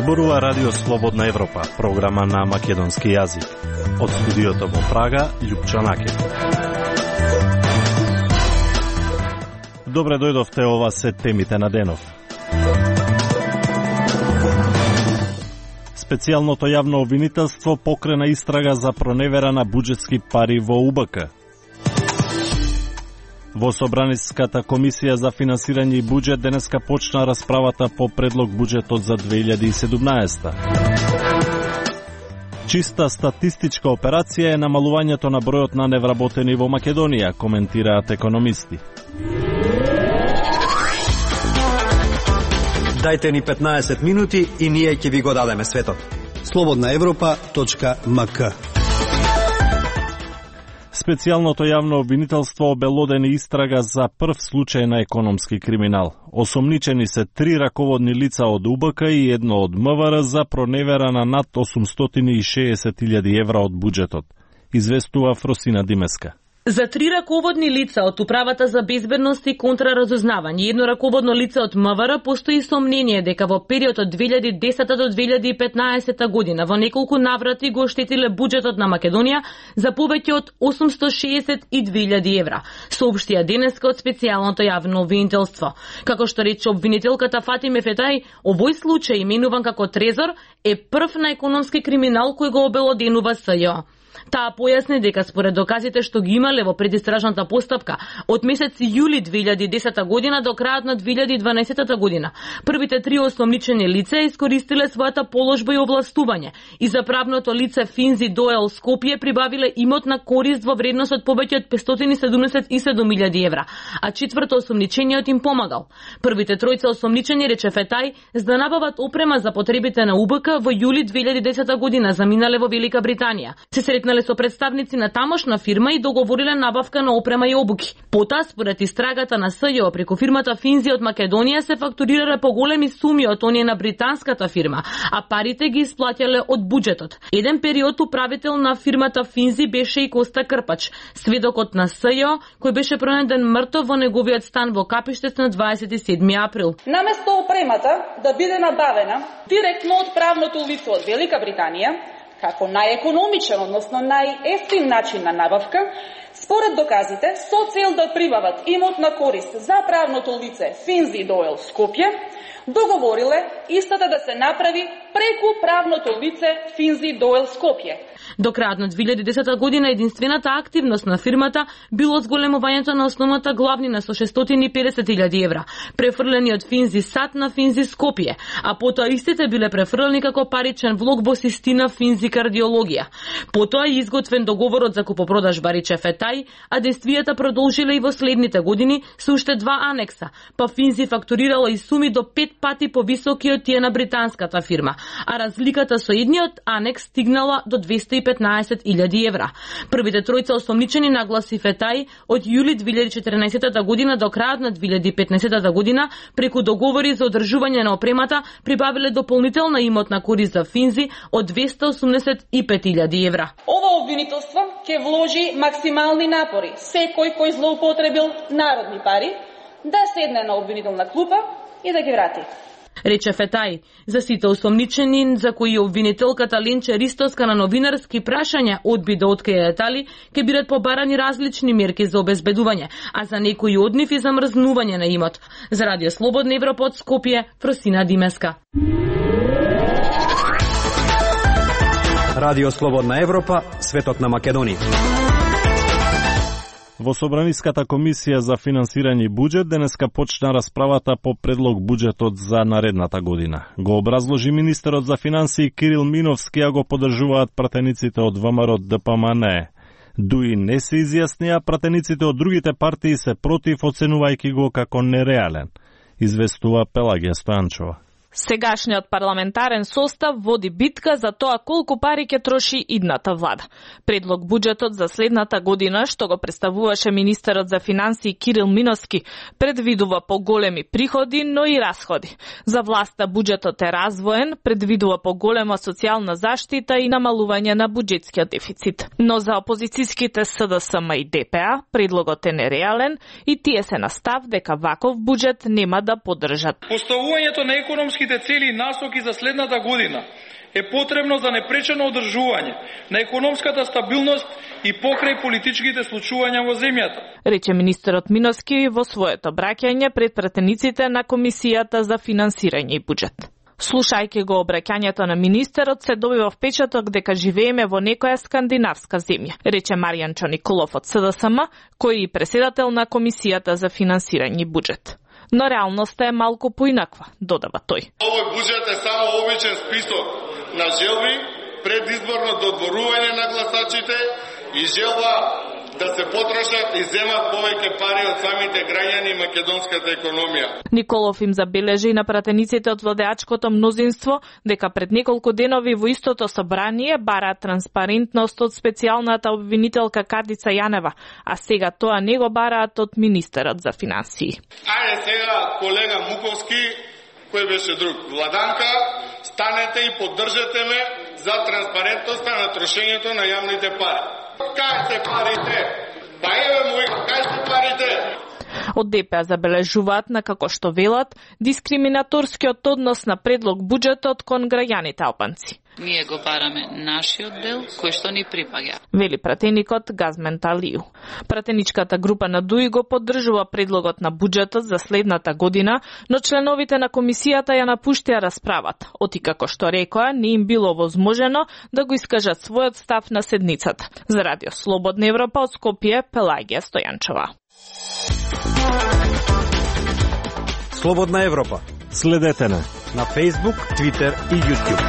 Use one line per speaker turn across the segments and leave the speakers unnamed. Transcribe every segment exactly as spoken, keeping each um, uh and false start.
Зборува Радио Слободна Европа, програма на македонски јазик. Од студиото во Прага, Љупчо Накев. Добре дојдовте, ова се темите на денов. Специјалното јавно обвинителство покрена истрага за проневера на буџетски пари во У Б К. Во Собраниската комисија за финансирање и буџет денеска почна расправата по предлог буџетот за две илјади и седумнаесета. Чиста статистичка операција е намалувањето на бројот на невработени во Македонија, коментираат економисти.
Дајте ни петнаесет минути и ние ќе ви го дадеме светот.
слободна европа точка м к.
Специјалното јавно обвинителство обелодени истрага за прв случај на економски криминал. Осомничени се три раководни лица од У Б К и едно од М В Р за проневера на над осумстотини и шеесет илјади евра од буџетот, известува Фросина Димеска.
За три раководни лица од Управата за безбедност и контраразузнавање и едно раководно лице од М В Р постои сомнение дека во период од две илјади и десета до две илјади и петнаесета година во неколку наврати го оштетиле буџетот на Македонија за повеќе од осумсто шеесет и две илјади евра, соопштија денеска од специјалното јавно обвинителство. Како што рече обвинителката Фатиме Фетај, овој случај, именуван како Трезор, е прв на економски криминал кој го обелоденува С Ј О. Таа појасни дека според доказите што ги имале во предистражната постапка од месец јули две илјади и десета година до крајот на две илјади и дванаесета година, првите три осомничени лица искористиле својата положба и овластување и за правното лице Финзи Доел Скопје прибавиле имот на корист во вредност од повеќе од петстотини седумдесет и седум илјади евра, а четврто осомничениот им помагал. Првите тројца осомничени, рече Фетај, за да набават опрема за потребите на У Б К во јули две илјади и десета година заминале во Велика Британија. Се сретнале со представници на тамошна фирма и договориле набавка на опрема и обуки. Потоа, според истрагата на С Ј О, преку фирмата Финзи од Македонија се фактурирале поголеми суми од оние на британската фирма, а парите ги исплаќале од буџетот. Еден период управител на фирмата Финзи беше и Коста Крпач, сведокот на С Ј О, кој беше пронајден мртов во неговиот стан во Капиштец на дваесет и седми април.
Наместо опремата да биде набавена директно од правното лице од Велика Британија, како најекономичен, односно најефтин начин на набавка, според доказите, со цел да прибават имот на корист за правното лице Финзи Доел Скопје, договориле истата да се направи преку правното лице Финзи Доел Скопје.
До крајот на две илјади и десета година единствената активност на фирмата било зголемувањето на основната главнина со шестстотини и педесет илјади евра, префрлени од Финзи Сат на Финзи Скопје, а потоа истите биле префрлени како паричен влог во Систина Финзи Кардиологија. Потоа е изготвен договорот за купопродажба, рече Фетај, а действијата продолжиле и во следните години со уште два анекса, па Финзи фактурирала и суми до пет пати повисоки од тие на британската фирма, а разликата со едниот анекс стигнала до двесте и петнаесет илјади евра. Првите тројца осомничени, нагласи Фетај, од јули две илјади и четрнаесета година до крајот на две илјади и петнаесета година, преку договори за одржување на опремата, прибавиле дополнителна имотна корист за Финзи од двесте и осумдесет и пет илјади евра.
Ова обвинителство ќе вложи максимални напори секој кој злоупотребил народни пари да седне на обвинителна клупа и да ги врати.
Рече Фетај, за сите осомничени за кои обвинителката Ленче Ристоска на новинарски прашања одби да открие детали, ќе бидат побарани различни мерки за обезбедување, а за некои од нив и замрзнување на имот. За Радио Слободна Европа од Скопје, Фросина Димеска.
Радио Слободна Европа, светот на Македонија.
Во Собраниската комисија за финансирање и буџет денеска почна расправата по предлог буџетот за наредната година. Го образложи министерот за финансии Кирил Миновски, а го поддржуваат пратениците од В М Р Д П М Н. Дуи не се изјаснија, пратениците од другите партии се против, оценувајќи го како нереален, известува Пелагија Стојанчова.
Сегашниот парламентарен состав води битка за тоа колку пари ќе троши идната влада. Предлог буџетот за следната година, што го представуваше министерот за финансии Кирил Миновски, предвидува поголеми приходи, но и расходи. За власта буџетот е развоен, предвидува поголема социјална заштита и намалување на буџетскиот дефицит. Но за опозицијските С Д С М и Д П А предлогот е нереален и тие се на став дека ваков буџет нема да поддржат.
Поставувањето на економски макроекономските цели и насоки за следната година е потребно за непречено одржување на економската стабилност и покрај политичките случувања во земјата,
рече министерот Миновски во своето обраќање пред пратениците на Комисијата за финансирање и буџет. Слушајќи го обраќањето на министерот, се добива впечаток дека живееме во некоја скандинавска земја, рече Маријанчо Николов од С Д С М, кој е председател на Комисијата за финансирање и буџет. Но реалноста е малку поинаква, додава тој.
Овој буџет е само обичен список на желби, предизборно додворување на гласачите и желба да се потрошат и земат повеќе пари од самите граѓани и македонската економија.
Николов им забележи на пратениците од владеачкото мнозинство дека пред неколку денови во истото собрание бараат транспарентност од специјалната обвинителка Катица Јанева, а сега тоа не го бараат од министерот за финансии.
Ајде сега, колега Муковски, кој беше друг, Владанка, станете и поддржете ме за транспарентноста на трошењето на јавните пари. Кај се парите? Па еве мој, кај се парите?
Од Д П забележуваат на како што велат дискриминаторскиот однос на предлог буџетот кон граѓаните албанци.
Ние го бараме нашиот дел, кој што ни припаѓа,
вели пратеникот Газмен Талију. Пратеничката група на ДУИ го поддржува предлогот на буџетот за следната година, но членовите на комисијата ја напуштија расправата, оти како што рекоа, не им било возможено да го искажат својот став на седницата. За Радио Слободна Европа од Скопје, Пелагија Стојанчова.
Слободна Европа.
Следете на
на Facebook, Twitter и YouTube.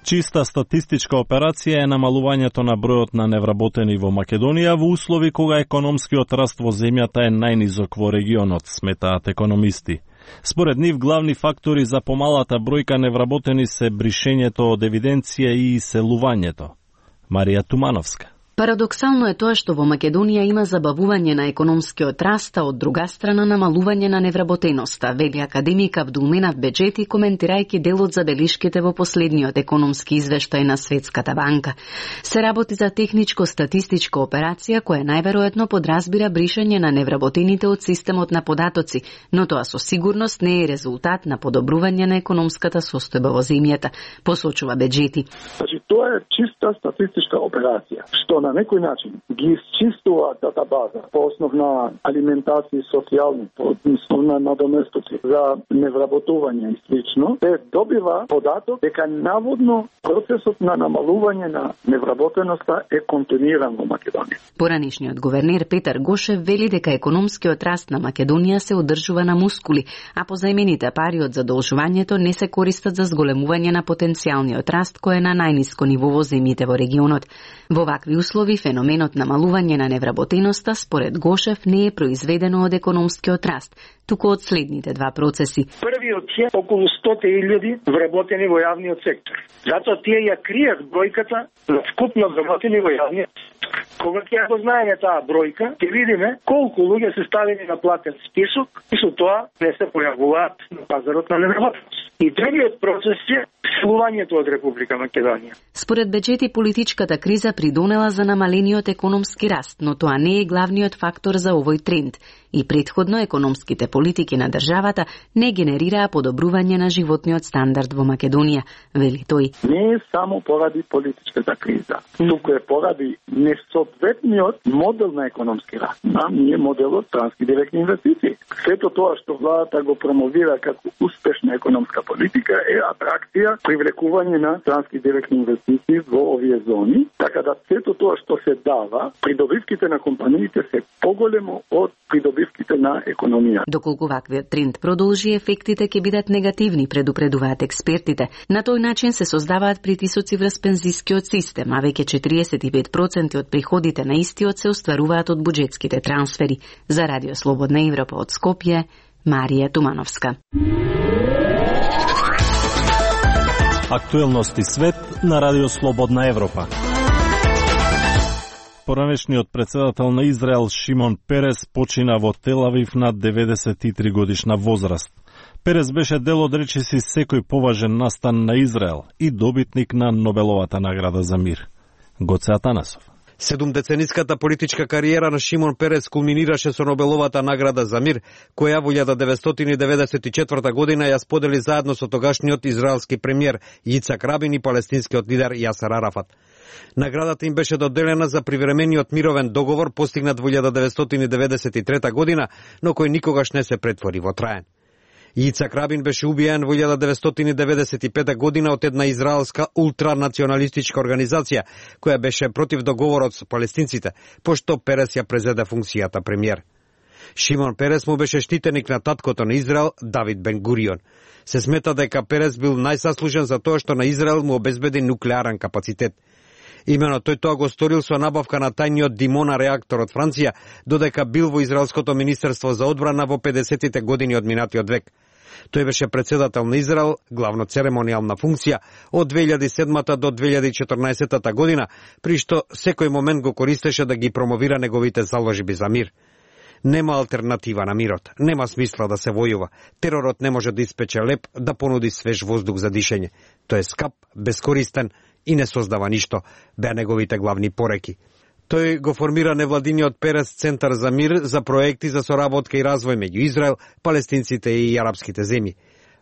Чиста статистичка операција е намалувањето на бројот на невработени во Македонија во услови кога економскиот раст во земјата е најнизок во регионот, сметаат економисти. Според нив, главни фактори за помалата бројка невработени се бришењето од евиденција и иселувањето. Марија Тумановска.
Парадоксално е тоа што во Македонија има забавување на економскиот раст, а од друга страна намалување на невработеноста, вели академик Абдулменав Беџети, коментирајќи дел од забелишките во последниот економски извештај на Светската банка. Се работи за техничко-статистичка операција која најверојатно подразбира бришање на невработените од системот на податоци, но тоа со сигурност не е резултат на подобрување на економската состојба во земјата, посочува Беџети.
Значи, тоа е чиста статистичка операција, што на некој начин ги исчистува датабаза по основ на алиментација и социјални, по основ на надоместоци за невработување и слично, се добива податок дека наводно процесот на намалување на невработеноста е континуиран во Македонија.
Поранишниот гувернер Петар Гошев вели дека економскиот раст на Македонија се одржува на мускули, а позајмените пари од задолжувањето не се користат за зголемување на потенцијалниот раст кој е на најниско ниво во земјите во регионот. Во вакви услови феноменот намалување на невработеноста според Гошев не е произведено од економскиот раст, туку од следните два процеси.
Првиот е околу сто илјади вработени во јавниот сектор. Затоа тие ја кријат бројката на вкупно вработени во јавниот сектор. Кога ќе го знаеме таа бројка, ќе видиме колку луѓе се ставени на платен список и со тоа не се појавуваат на пазарот на невработеност. И другиот процес е селувањето од Република Македонија.
Според Беџети, политичката криза придонела за намалениот економски раст, но тоа не е главниот фактор за овој тренд. И претходно економските политики на државата не генерираа подобрување на животниот стандард во Македонија, вели тој.
Не е само поради политичката криза, туку е поради несоодветниот модел на економски раст. Нам ние моделот странски директни инвестиции. Сето тоа што владата го промовира како успешна економска политика е атракција, привлекување на странски директни инвестиции во овие зони, така да сето тоа што се дава, придобивките на компаниите се поголемо од придобивките на економија.
Доколку ваквиот тренд продолжи, ефектите ќе бидат негативни, предупредуваат експертите. На тој начин се создаваат притисоци врз пензискиот систем, а веќе четириесет и пет проценти од приходите на истиот се остваруваат од буџетските трансфери. За Радио Слободна Европа од Скопје, Марија Тумановска.
Актуелности свет на Радио Слободна Европа. Поранешниот председател на Израел Шимон Перес почина во Тел Авив на деветдесет и три годишна возраст. Перес беше дел од речиси секој поважен настан на Израел и добитник на Нобеловата награда за мир. Гоце Атанасов.
Седумдецениската политичка кариера на Шимон Перес кулминираше со Нобеловата награда за мир, која во илјада деветстотини деведесет и четврта година ја сподели заедно со тогашниот израелски премиер Јицак Рабин и палестинскиот лидер Јасер Арафат. Наградата им беше доделена за привремениот мировен договор постигнат во илјада деветстотини деветдесет и трета година, но кој никогаш не се претвори во траен. Јицак Рабин беше убиен во илјада деветстотини деветдесет и пета година од една израелска ултранационалистичка организација, која беше против договорот со палестинците, пошто Перес ја презеде функцијата премиер. Шимон Перес му беше штитеник на таткото на Израел, Давид Бен Гурион. Се смета дека Перес бил најзаслужен за тоа што на Израел му обезбеди нуклеарен капацитет. Имено тој тоа го сторил со набавка на тајниот Димона реактор од Франција, додека бил во Израелското министерство за одбрана во педесетите години од минатиот век. Тој беше председател на Израел, главно церемонијална функција, од две илјади и седмата до две илјади и четрнаесетта година, при што секој момент го користеше да ги промовира неговите заложби за мир. Нема алтернатива на мирот, нема смисла да се војува. Теророт не може да испече леп, да понуди свеж воздух за дишење. Тој е скап, бескористен и не создава ништо, беа неговите главни пореки. Тој го формира невладиниот Перес Центар за мир за проекти за соработка и развој меѓу Израел, палестинците и арапските земји.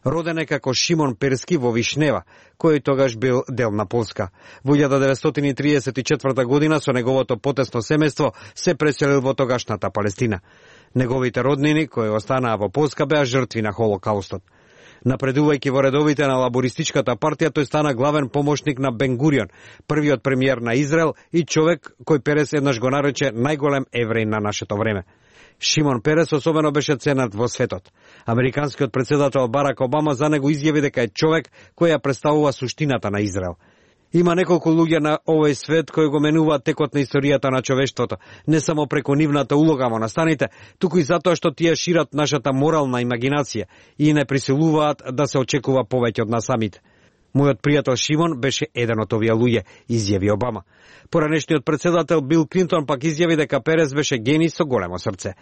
Роден е како Шимон Перски во Вишнева, кој тогаш бил дел на Полска. Во илјада деветстотини триесет и четврта година со неговото потесно семејство се преселил во тогашната Палестина. Неговите роднини, кои останаа во Полска, беа жртви на Холокаустот. Напредувајќи во редовите на лабористичката партија, тој стана главен помошник на Бен Гурион, првиот премиер на Израел и човек кој Перес еднаш го нарече најголем евреј на нашето време. Шимон Перес особено беше ценет во светот. Американскиот председател Барак Обама за него изјави дека е човек кој ја представува суштината на Израел. Има неколку луѓе на овој свет кои го менуваат текот на историјата на човештвото, не само преку нивната улога во настаните, туку и затоа што тие шират нашата морална имагинација и не присилуваат да се очекува повеќе од нас самите. Мојот пријател Шимон беше еден од овие луѓе, изјави Обама. Поранешниот председател Бил Клинтон пак изјави дека Перес беше гений со големо срце.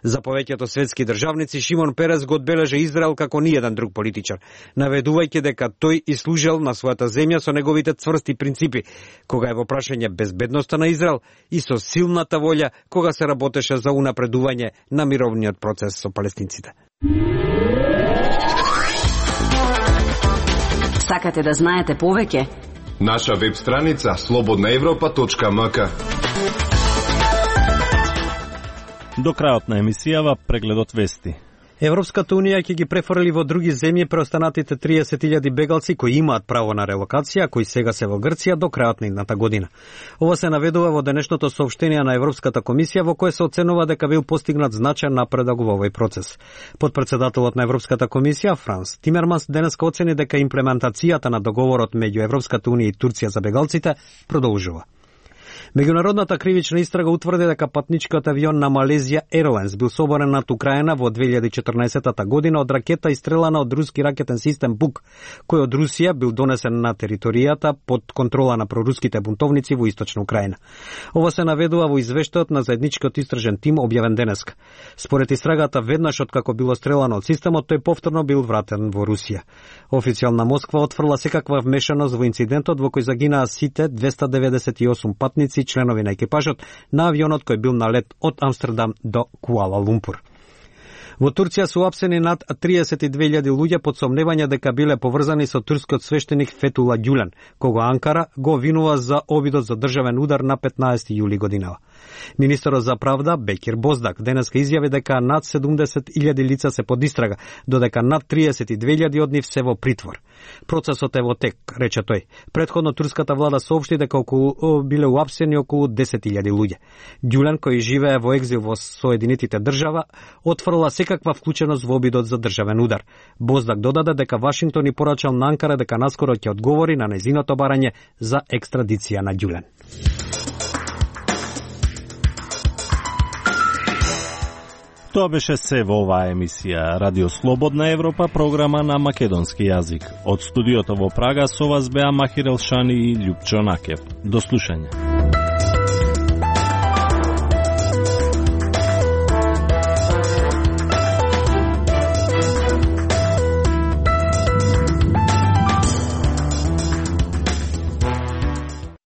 За повеќето светски државници, Шимон Перес го одбележа Израел како ниеден друг политичар, наведувајќи дека тој и служел на својата земја со неговите цврсти принципи, кога е во прашање безбедноста на Израел и со силната волја кога се работеше за унапредување на мировниот процес со палестинците.
Сакате да знаете повеќе?
Наша веб страница слободна европа точка ем ка.
До крајот на емисијава прегледот вести.
Европската унија ќе ги префрли во други земји преостанатите триесет илјади бегалци кои имаат право на релокација, кои сега се во Грција до крајот на идната година. Ова се наведува во денешното соопштение на Европската комисија во кое се оценува дека бил постигнат значаен напредок во овој процес. Подпредседателот на Европската комисија Франс Тимерманс денеска оцени дека имплементацијата на договорот меѓу Европската унија и Турција за бегалците продолжува. Меѓународната кривична истрага утврди дека патничкиот авион на Малезија Airlines бил соборен над Украина во две илјади и четрнаесетта година од ракета истрелана од руски ракетен систем Бук, кој од Русија бил донесен на територијата под контрола на проруските бунтовници во источна Украина. Ова се наведува во извештајот на заедничкиот истражен тим објавен денеска. Според истрагата, веднаш откако било стрелано од системот, тој повторно бил вратен во Русија. Официјална Москва отфрла секаква вмешаност во инцидентот во кој загинаа сите двеста деветдесет и осум патници, членови на екипажот на авионот кој бил на лет од Амстердам до Куала Лумпур. Во Турција се уапсени над триесет и две илјади луѓе под сомневање дека биле поврзани со турскиот свештеник Фетула Ѓулен, кога Анкара го обвинува за обидот за државен удар на петнаесети јули годинава. Министерот за правда Бекир Боздак денеска изјави дека над седумдесет илјади лица се под истрага, додека над триесет и две илјади од нив се во притвор. Процесот е во тек, рече тој. Предходно турската влада соопшти дека околу биле уапсени околу десет илјади луѓе. Ѓулен, кој живее во екзил во Соединетите држава, отфрла секаква вклученост во обидот за државен удар. Боздак додаде дека Вашингтон и порачал на Анкара дека наскоро ќе одговори на нејзиното барање за екстрадиција на Ѓулен.
Тоа беше се во оваа емисија Радио Слободна Европа, програма на македонски јазик. Од студиото во Прага со вас беа Махир Елшани и Љупчо Накев. До слушање.